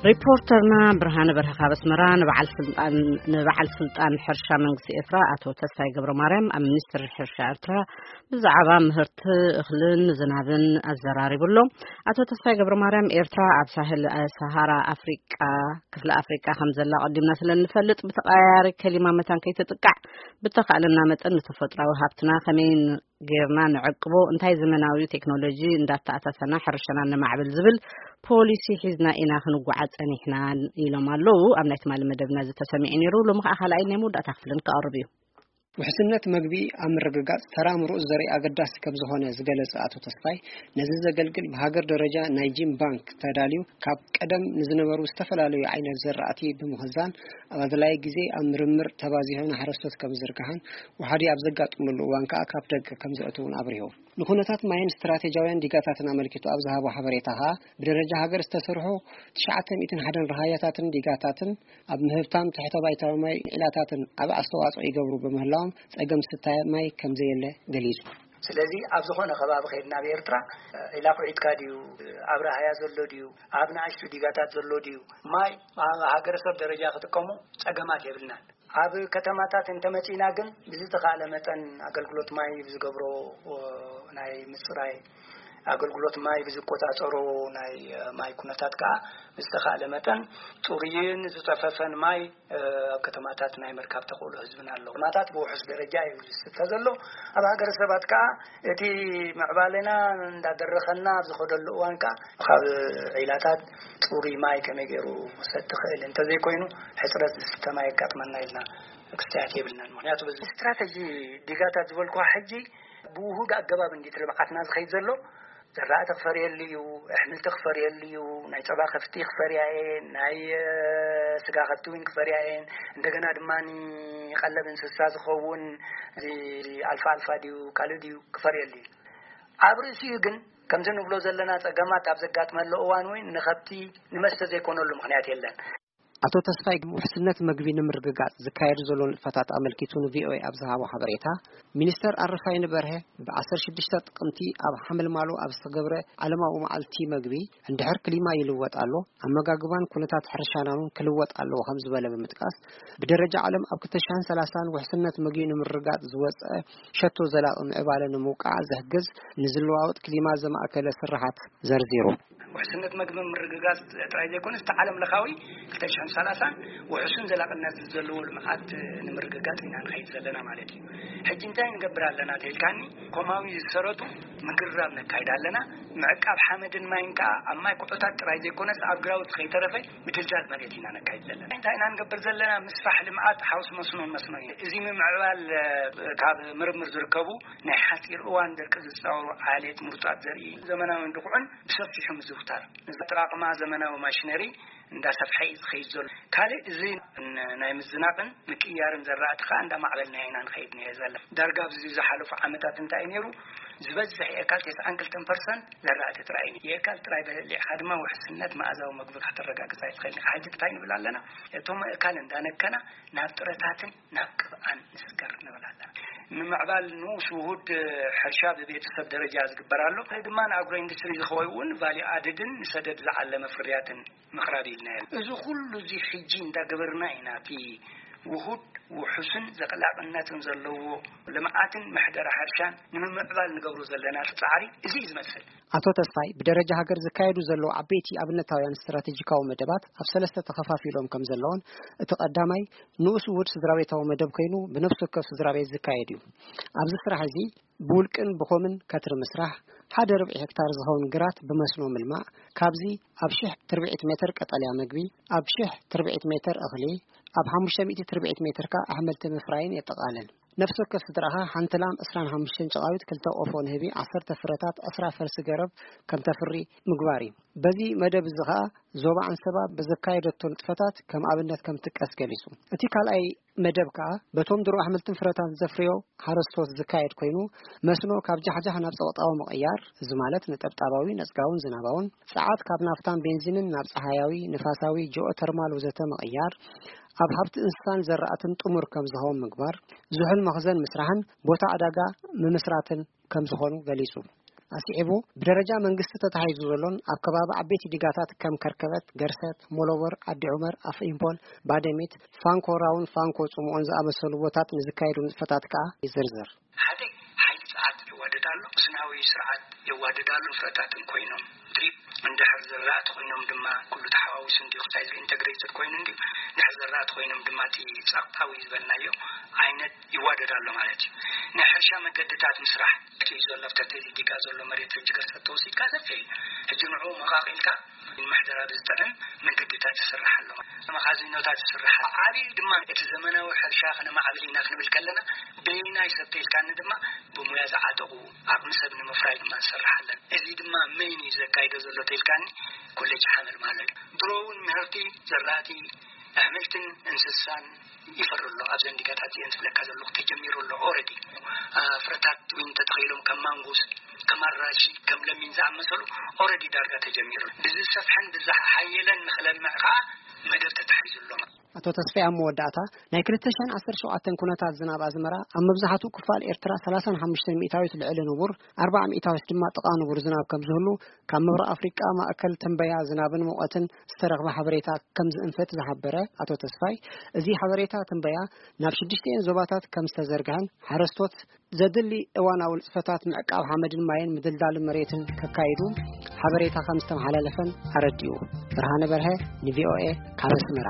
ሪፖርተርና ብርሃነ በርሀ ካብ ኣስመራ ንበዓል ስልጣን፣ ንበዓል ስልጣን ሕርሻ መንግስቲ ኤርትራ ኣቶ ተስፋይ ገብረ ማርያም ኣብ ሚኒስትሪ ሕርሻ ኤርትራ ብዛዕባ ምህርቲ እኽልን ዝናብን ኣዘራሪቡ ኣሎ። ኣቶ ተስፋይ ገብረ ማርያም፣ ኤርትራ ኣብ ሳህል፣ እ፣ ሰሃራ ኣፍሪቃ፣ ክፍለ ኣፍሪቃ ከም ዘላ ቀዲምና ስለ እንፈልጥ፣ ብተቐያያሪ ከሊማ መታን ከይትጥቃዕ፣ ብተኻእለና መጠን ንተፈጥራዊ ሃብትና ከመይ ን-፣ ጌርና ንዕቅቦ፣ እንታይ ዘመናዊ ቴክኖሎጂ እንዳተኣሳሰና ሕርሻና ነማዕብል ዝብል ፖሊሲ ሒዝና ኢና ክንጓዓዝ ጸኒሕና ኢሎም ኣለዉ። ኣብ ናይ ትማሊ መደብና እዚ ተሰሚዑ ነይሩ። ሎሚ ከኣ ካልኣይ ናይ መወዳእታ ክፍልን ክቐርብ እዩ። ውሕስነት መግቢ ኣብ ምርግጋጽ ተራ ምሩጽ ዘርኢ ኣገዳሲ ከም ዝኾነ ዝገለጸ ኣቶ ተስፋይ፣ ነዚ ዘገልግል ብሃገር ደረጃ ናይ ጂን ባንክ ተዳልዩ፣ ካብ ቀደም ንዝነበሩ ዝተፈላለዩ ዓይነት ዘራእቲ ብምኽዛን፣ ኣብ ኣድላዪ ግዜ ኣብ ምርምር ተባዚሑ ንሓረስቶት ከም ዝዝርጋሕን፣ ወሓዲ ኣብ ዘጋጥመሉ እዋን ከኣ ካብ ደገ ከም ዘእትውን ኣብሪሁ። ንኩነታት ማይን ስትራቴጂያውያን ዲጋታትን ኣመልኪቱ ኣብ ዝሃቦ ሓበሬታ ከኣ፣ ብደረጃ ሃገር ዝተሰርሑ ትሽዓተ ሚእትን ሓደን ረሃያታትን ዲጋታትን ኣብ ምህብታም ትሕተ ባይታዊ ማይ ዒላታትን ዓቢ ኣስተዋጽኦ ይገብሩ ብምህላዎም፣ ጸገም ስታይ ማይ ከም ዘየለ ገሊጹ። ስለዚ ኣብ ዝኾነ ከባቢ ከይድና ኣብ ኤርትራ፣ ዒላ ኩዒትካ ድዩ፣ ኣብ ረሃያ ዘሎ ድዩ፣ ኣብ ንኣሽቱ ዲጋታት ዘሎ ድዩ፣ ማይ ኣብ ሃገረሰብ ደረጃ ክጥቀሙ ጸገማት የብልናን። ኣብ ከተማታት እንተመጺእና ግን ብዝተኻእለ መጠን ኣገልግሎት ማይ ብዝገብሮ፣ ኦ፣ ናይ ምጽራይ ኣገልግሎት ማይ ብዝቆጻጸሮ ናይ፣ እ፣ ማይ ኩነታት ከኣ ብዝተኻእለ መጠን ጽሩይን ዝጸፈፈን ማይ፣ እ፣ ኣብ ከተማታት ናይ ምርካብ ተኽእሎ ህዝብና ኣሎ። ከተማታት ብውሑስ ደረጃ እዩ ዝስተ ዘሎ። ኣብ ሃገረ ሰባት ከኣ እቲ ምዕባለና እንዳደረኸና ኣብ ዝኸደሉ እዋን ከኣ ካብ ዒላታት ጽሩይ ማይ ከመይ ገይሩ ክሰቲ ክእል እንተዘይኮይኑ ሕጽረት ዝስተ ማይ የጋጥመና ኢልና ክስተያት የብልናን። ምኽንያቱ በዚ ስትራተጂ ዲጋታት ዝበልኩዋ ሕጂ ብውሁድ ኣገባብ እንዲት ልምዓትና ዝኸይድ ዘሎ። ዘራእቲ ክፈርየሉ እዩ፣ ኣሕምልቲ ክፈርየሉ እዩ፣ ናይ ጸባ ከፍቲ ክፈርያ እየን፣ ናይ፣ እ፣ ስጋ ከፍቲ እውን ክፈርያ እየን። እንደገና ድማ ቀለብ እንስሳ ዝኸውን እዚ ኣልፋ ኣልፋ ድዩ ካልእ ድዩ ክፈርየሉ እዩ። ኣብ ርእሲኡ ግን ከምዚ ንብሎ ዘለና ጸገማት ኣብ ዘጋጥመሉ እዋን እውን ንኸብቲ ንመስተ ዘይኮነሉ ምኽንያት የለን። ኣቶ ተስፋይ፣ ውሕስነት መግቢ ንምርግጋጽ ዝካየዱ ዘሎ ንጥፈታት ኣመልኪቱ ንቪኦኤ ኣብ ዝሃቦ ሓበሬታ፣ ሚኒስተር ኣረፋይነ በርሀ ብ ዓሰርተ ሽዱሽተ ጥቅምቲ ኣብ ሓመልማሎ ኣብ ዝተገብረ ዓለማዊ መዓልቲ መግቢ፣ እንድሕር ክሊማ ይልወጥ ኣሎ፣ ኣመጋግባን ኩነታት ሕርሻናን ክልወጥ ኣለዎ ከም ዝበለ ብምጥቃስ፣ ብደረጃ ዓለም ኣብ ክልተ ሽሕን ሰላሳን ውሕስነት መግቢ ንምርግጋጽ ዝወጸ ሸቶ ዘላቂ ምዕባለ ንምውቃዕ ዝሕግዝ ንዝለዋወጥ ክሊማ ዘማእከለ ስራሓት ዘርዚሩ። ውሕስነት መግቢ ምርግጋጽ ጥራይ ዘይኮነስ፣ እቲ ዓለም ለኻዊ ክልተ ሽሕን ሰላሳን ውሕሱን ዘላቕነት ዘለዎ ልምዓት ንምርግጋጽ ኢና ንኸይድ ዘለና ማለት እዩ። ሕጂ እንታይ ንገብር ኣለና ተኢልካኒ፣ ኮማዊ ዝሰረቱ ምግራብ ነካይድ ኣለና። ምዕቃብ ሓመድን ማይን ከኣ ኣብ ማይ ኩዕታት ጥራይ ዘይኮነስ፣ ኣብ ግራውት ከይተረፈ ምድልዳል መሬት ኢና ነካይድ ዘለና። እንታይ ኢና ንገብር ዘለና? ምስፋሕ ልምዓት ሓውስ መስኖን መስኖ እዩ። እዚ ምምዕባል፣ እ፣ ካብ ምርምር ዝርከቡ ናይ ሓጺር እዋን ደርቂ ዝጻወሩ ዓሌት ምሩጻት ዘርኢ ዘመናውን ድኹዕን ብሰፊሑ ምዝውታር። እዚ ኣጠቓቕማ ዘመናዊ ማሽነሪ እንዳሰፍሐ እዩ ዝኸይድ ዘሎ። ካልእ እዚ ን-፣ ናይ ምዝናቕን ምቅያርን ዘራእቲ ከኣ እንዳማዕበልና ኢና ንኸይድ ንሄ ዘለና። ዳርጋ ኣብዚ ዝሓለፉ ዓመታት እንታይ እዩ ነይሩ? ዝበዝሕ የካል ተስዓን ክልተን ፐርሰንት ዘራእቲ ጥራይ እዩ። የካል ጥራይ በሊዕካ ድማ ውሕስነት መኣዛዊ መግቢ ከተረጋግጽ ኣይትኽእልን ኢኻ። ሕጂ እንታይ ንብል ኣለና? እቶም ኣእካል እንዳነከና ናብ ጥረታትን ናብ ቅብኣን ንስገር ንብል ኣለና። ንምዕባል ንኡስ ውሁድ ሕርሻ ብቤተሰብ ደረጃ ዝግበር ኣሎ። እዚ ድማ ንኣግሮ ኢንዱስትሪ ዝኸውን ቫልዩ ኣድድን ንሰደድ ዝዓለመ ፍርያትን ምቕራብ ኢልና። እዚ ኩሉ እዚ ሕጂ እንዳገበርና ኢና እቲ ውሁድ ውሑስን ዘላቕነትን ዘለዎ ልምዓትን ምሕደራ ሕርሻን ንምምዕባል ንገብሮ ዘለና ጻዕሪ እዚ እዩ ዝመስል። ኣቶ ተስፋይ፣ ብደረጃ ሃገር ዝካየዱ ዘለዉ ዓበይቲ ኣብነታውያን ስትራቴጂካዊ መደባት ኣብ ሰለስተ ተኸፋፊሎም ከም ዘለዉን፣ እቲ ቀዳማይ ንኡስ ውሁድ ስድራቤታዊ መደብ ኮይኑ ብነፍሲ ወከፍ ስድራቤት ዝካየድ እዩ። ኣብዚ ስራሕ እዚ ብውልቅን ብኮምን ከትሪ ምስራሕ፣ ሓደ ርብዒ ሄክታር ዝኸውን ግራት ብመስኖ ምልማዕ፣ ካብዚ ኣብ ሽሕ ትርብዒት ሜትር ቀጠልያ መግቢ፣ ኣብ ሽሕ ትርብዒት ሜትር እኽሊ፣ ኣብ ሓሙሽተ ሚእቲ ትርብዒት ሜትር ከኣ ኣሕምልቲ ምፍራይን የጠቓልል። ነፍሲ ወከፍ ስድራኻ ሓንቲ ላም፣ ዕስራን ሓሙሽተን ጨቓዊት፣ ክልተ ቆፎ ንህቢ፣ ዓሰርተ ፍረታት፣ ዕስራ ፈልሲ ገረብ ከም ተፍሪ ምግባር እዩ። በዚ መደብ እዚ ኸኣ ዞባ ዓንሰባ ብዘካየደቶ ንጥፈታት ከም ኣብነት ከም ትጥቀስ ገሊጹ። እቲ ካልኣይ መደብ ከኣ በቶም ድሮ ኣሕምልትን ፍረታትን ዘፍርዮ ሓረስቶት ዝካየድ ኮይኑ፣ መስኖ ካብ ጃሕጃሕ ናብ ጸቕጣዊ ምቕያር፣ እዚ ማለት ነጠብጣባዊ፣ ነጽጋውን ዝናባውን፣ ጸዓት ካብ ናፍታን ቤንዚንን ናብ ጸሃያዊ፣ ንፋሳዊ፣ ጂኦተርማል ወዘተ ምቕያር፣ ኣብ ሃብቲ እንስሳን ዘራእትን ጥሙር ከም ዝኸውን ምግባር፣ ዝሑል መኽዘን ምስራሕን ቦታ ዕዳጋ ምምስራትን ከም ዝኾኑ ገሊጹ። ኣስዒቡ፣ ብደረጃ መንግስቲ ተታሒዙ ዘሎን ኣብ ከባቢ ዓበይቲ ዲጋታት ከም ከርከበት፣ ገርሰት፣ ሞሎቦር፣ ዓዲ ዑመር፣ ኣፍ ኢምፖል፣ ባደሚት፣ ፋንኮ ራውን ፋንኮ ጽምኦን ዝኣመሰሉ ቦታት ንዝካየዱ ንጥፈታት ከኣ ይዝርዝር። ሓደ ሓይሊ ጸዓት የዋድድ ኣሎ፣ ስናዊ ስርዓት የዋድድ ኣሎ፣ ፍረታትን ኮይኖም ድሪፕ እንድሕር ዝራእቲ ኮይኖም ድማ ኩሉ ተሓዋዊሱ እንዲዩ ክታይ ኢንተግሬትድ ኮይኑ እንዲዩ ድሕር ዝራእቲ ኮይኖም ድማ እቲ ጸቕጣዊ ዝበልናዮ ዓይነት ይዋደድ ኣሎ ማለት እዩ። ናይ ሕርሻ መገድታት ምስራሕ እቲ ዘሎ ኣብቲ ዲጋ ዘሎ መሬት ሕጂ ገርሰት ተወሲድካ ሰፊሕ እዩ። ሕጂ ንዑ መቓቒልካ ምሕደራ ብዝጥዕም መንገድታት ይስራሕ ኣሎ። መኻዚኖታት ይስራሕ። ዓብዩ ድማ እቲ ዘመናዊ ሕርሻ ከነማዕብል ኢና ክንብል ከለና በይናይ ሰብ ተይልካኒ ድማ ብሙያ ዝዓጠቑ ዓቕሚ ሰብ ንምፍራይ ድማ ንሰርሕ ኣለና። እዚ ድማ መይን እዩ ዘካይዶ ዘሎ ተይልካኒ ኮሌጅ ሓመል ማለት እዩ። ድሮ እውን ምህርቲ ዘራእቲ ኣሕምልትን እንስሳን ይፈሪ ኣሎ። ኣብዘን ዲጋታት እዚአን ዝብለካ ዘለኹ ተጀሚሩ ኣሎ። ኦረዲ ፍረታት እውን ተተኺሎም ከም ማንጎስ ከም ኣራሺ ከም ለሚን ዝኣመሰሉ ኦረዲ ዳርጋ ተጀሚሩ። ብዝሰፍሐን ብዝሓየለን ንክለምዕ ከዓ መደብ ተታሒዙ ኣሎ። ኣቶ ተስፋይ ኣብ መወዳእታ ናይ ክልተ ሽሕን ዓሰርተ ሸውዓተን ኩነታት ዝናብ ኣዝመራ ኣብ መብዛሕትኡ ክፋል ኤርትራ ሰላሳን ሓሙሽተን ሚእታዊት ልዕሊ ንቡር፣ ኣርባዓ ሚእታዊት ድማ ጥቓ ንቡር ዝናብ ከም ዝህሉ ካብ ምብራቕ ኣፍሪቃ ማእከል ትንበያ ዝናብን ሙቐትን ዝተረኽበ ሓበሬታ ከም ዝእንፍት ዝሓበረ ኣቶ ተስፋይ፣ እዚ ሓበሬታ ትንበያ ናብ ሽዱሽቲኤን ዞባታት ከም ዝተዘርግሐን ሓረስቶት ዘድሊ እዋናዊ ንጥፈታት ምዕቃብ ሓመድን ማይን ምድልዳል መሬትን ከካይዱ ሓበሬታ ከም ዝተመሓላለፈን ኣረዲኡ። ብርሃነ በርሀ ንቪኦኤ ካብ ኣስመራ።